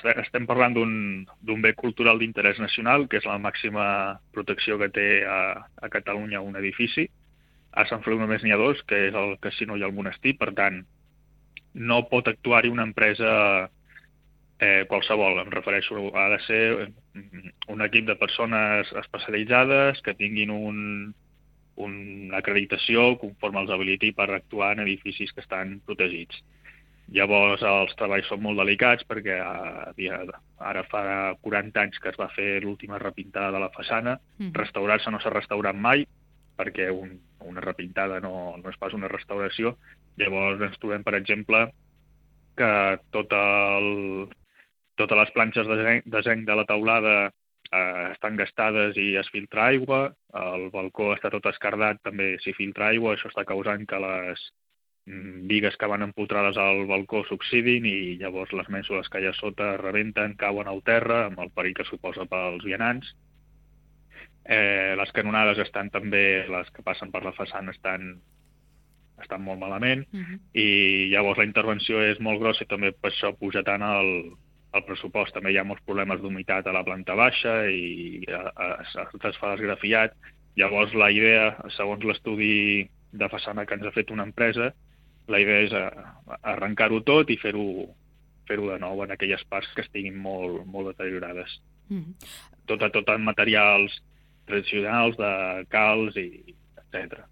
estem parlant d'un bé cultural d'interès nacional, que és la màxima protecció que té a Catalunya un edifici. A Sant Feliu només n'hi ha dos, que és el casino i el monestir, per tant, no pot actuar-hi una empresa qualsevol. Em refereixo, ha de ser un equip de persones especialitzades que tinguin una acreditació conforme els habiliti per actuar en edificis que estan protegits. Llavors els treballs són molt delicats perquè ara fa 40 anys que es va fer l'última repintada de la façana. Restaurar-se no s'ha restaurat mai perquè una repintada no és pas una restauració. Llavors ens trobem, per exemple, que totes les planxes de zinc de la teulada estan gastades i es filtra aigua, el balcó està tot escardat, també s'hi filtra aigua, això està causant que les bigues que van empotrades al balcó s'oxidin i llavors les mènsules que hi ha sota rebenten, cauen al terra, amb el perill que suposa pels vianants. Les canonades estan també, les que passen per la façana estan molt malament i llavors la intervenció és molt grossa i també per això puja tant el pressupost. També hi ha molts problemes d'humitat a la planta baixa i es fa desgrafiat. Llavors la idea, segons l'estudi de façana que ens ha fet una empresa, la idea és arrencar-ho tot i fer-ho de nou en aquelles parts que estiguin molt, molt deteriorades. Tot en materials tradicionals, de calç i etc.